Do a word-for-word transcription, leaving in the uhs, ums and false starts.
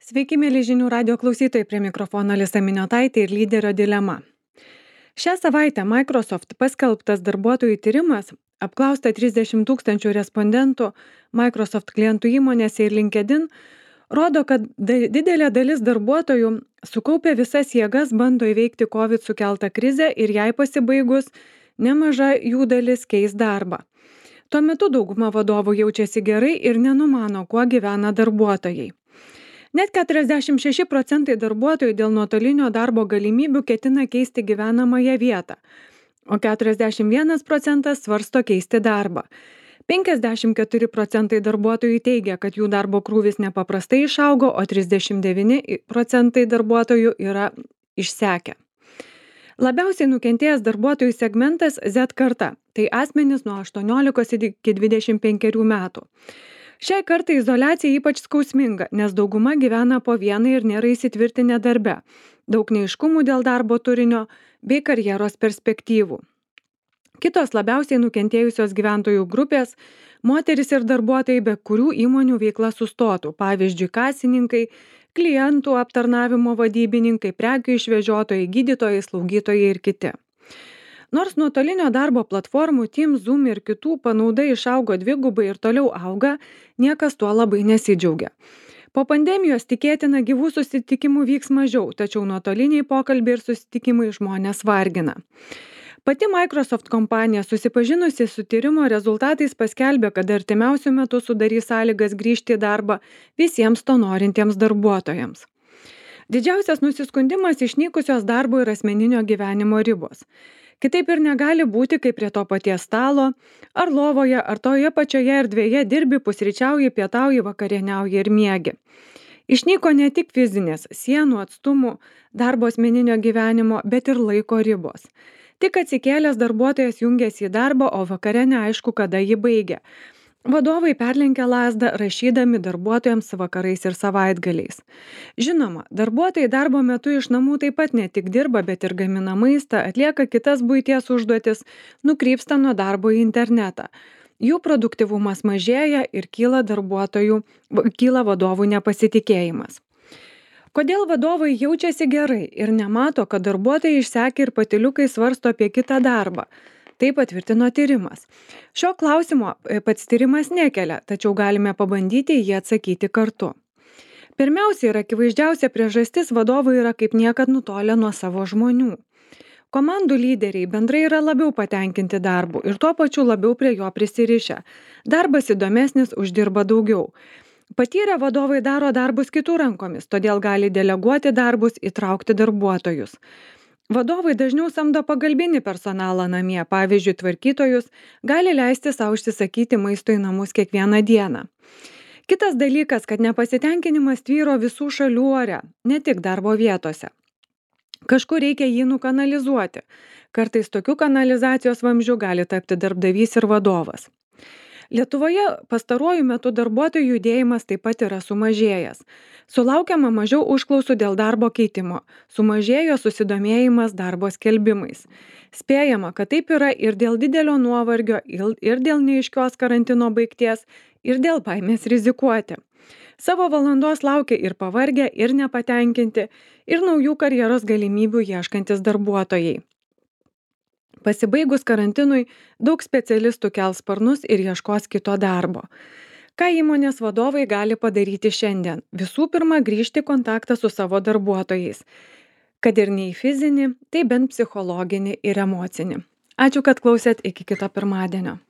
Sveiki, mėly žinių radio klausytojai, prie mikrofono Alisa Miniotaitė ir lyderio dilema. Šią savaitę Microsoft paskelbtas darbuotojų tyrimas, apklausta trisdešimt tūkstančių respondentų Microsoft klientų įmonėse ir LinkedIn, rodo, kad da- didelė dalis darbuotojų sukaupė visas jėgas bando įveikti COVID sukeltą krizę ir jai pasibaigus nemaža jų dalis keis darbą. Tuo metu dauguma vadovų jaučiasi gerai ir nenumano, kuo gyvena darbuotojai. Net keturiasdešimt šeši procentai darbuotojų dėl nuotolinio darbo galimybių ketina keisti gyvenamąją vietą, o keturiasdešimt vienas procentas svarsto keisti darbą. penkiasdešimt keturi procentai darbuotojų teigia, kad jų darbo krūvis nepaprastai išaugo, o trisdešimt devyni procentai darbuotojų yra išsekę. Labiausiai nukentėjęs darbuotojų segmentas Z karta, tai asmenys nuo aštuoniolikos iki dvidešimt penkerių metų. Šiai kartai izoliacija ypač skausminga, nes dauguma gyvena po vieną ir nėra įsitvirtinę darbe, daug neaiškumų dėl darbo turinio bei karjeros perspektyvų. Kitos labiausiai nukentėjusios gyventojų grupės - moteris ir darbuotojai, be kurių įmonių veikla sustotų, pavyzdžiui, kasininkai, klientų aptarnavimo vadybininkai, prekių išvežiotojai, gydytojai, slaugytojai ir kiti. Nors nuotolinio darbo platformų Teams, Zoom ir kitų panauda išaugo dvigubai ir toliau auga, niekas tuo labai nesidžiaugia. Po pandemijos tikėtina gyvų susitikimų vyks mažiau, tačiau nuotoliniai pokalbiai ir susitikimai žmonės vargina. Pati Microsoft kompanija, susipažinusi su tyrimo rezultatais, paskelbė, kad artimiausiu metu sudarys sąlygas grįžti į darbą visiems to norintiems darbuotojams. Didžiausias nusiskundimas išnykusios darbo ir asmeninio gyvenimo ribos. Kitaip ir negali būti, kaip prie to paties stalo, ar lovoje, ar toje pačioje erdvėje dirbi, pusryčiauji, pietauji, vakarieniauji ir miegi. Išnyko ne tik fizinės, sienų, atstumų, darbo asmeninio gyvenimo, bet ir laiko ribos. Tik atsikėlęs darbuotojas jungiasi į darbą, o vakare neaišku, kada jį baigia. Vadovai perlenkia lazdą, rašydami darbuotojams vakarais ir savaitgaliais. Žinoma, darbuotojai darbo metu iš namų taip pat ne tik dirba, bet ir gamina maistą, atlieka kitas buities užduotis, nukrypsta nuo darbo į internetą. Jų produktyvumas mažėja ir kyla darbuotojų, kyla vadovų nepasitikėjimas. Kodėl vadovai jaučiasi gerai ir nemato, kad darbuotojai išsekę ir patyliukai svarsto apie kitą darbą? Tai patvirtino tyrimas. Šio klausimo pats tyrimas nekelia, tačiau galime pabandyti jį atsakyti kartu. Pirmiausia ir akivaizdžiausia priežastis vadovai yra kaip niekad nutolę nuo savo žmonių. Komandų lyderiai bendrai yra labiau patenkinti darbu ir tuo pačiu labiau prie jo prisirišę. Darbas įdomesnis, uždirba daugiau. Patyrę vadovai daro darbus kitų rankomis, todėl gali deleguoti darbus, įtraukti darbuotojus. Vadovai dažniau samdo pagalbinį personalą namie, pavyzdžiui, tvarkytojus, gali leisti savo užsisakyti maisto į namus kiekvieną dieną. Kitas dalykas, kad nepasitenkinimas tvyro visų šalių ore, ne tik darbo vietose. Kažkur reikia jį nukanalizuoti. Kartais tokių kanalizacijos vamzdžių gali tapti darbdavys ir vadovas. Lietuvoje pastaruoju metu darbuotojų judėjimas taip pat yra sumažėjęs. Sulaukiama mažiau užklausų dėl darbo keitimo, sumažėjo susidomėjimas darbo skelbimais. Spėjama, kad taip yra ir dėl didelio nuovargio, ir dėl neaiškios karantino baigties, ir dėl baimės rizikuoti. Savo valandos laukia ir pavargę, ir nepatenkinti, ir naujų karjeros galimybių ieškantis darbuotojai. Pasibaigus karantinui, daug specialistų kels sparnus ir ieškos kito darbo. Ką įmonės vadovai gali padaryti šiandien? Visų pirma, grįžti į kontaktą su savo darbuotojais. Kad ir ne į fizinį, tai bent psichologinį ir emocinį. Ačiū, kad klausėt, iki kito pirmadienio.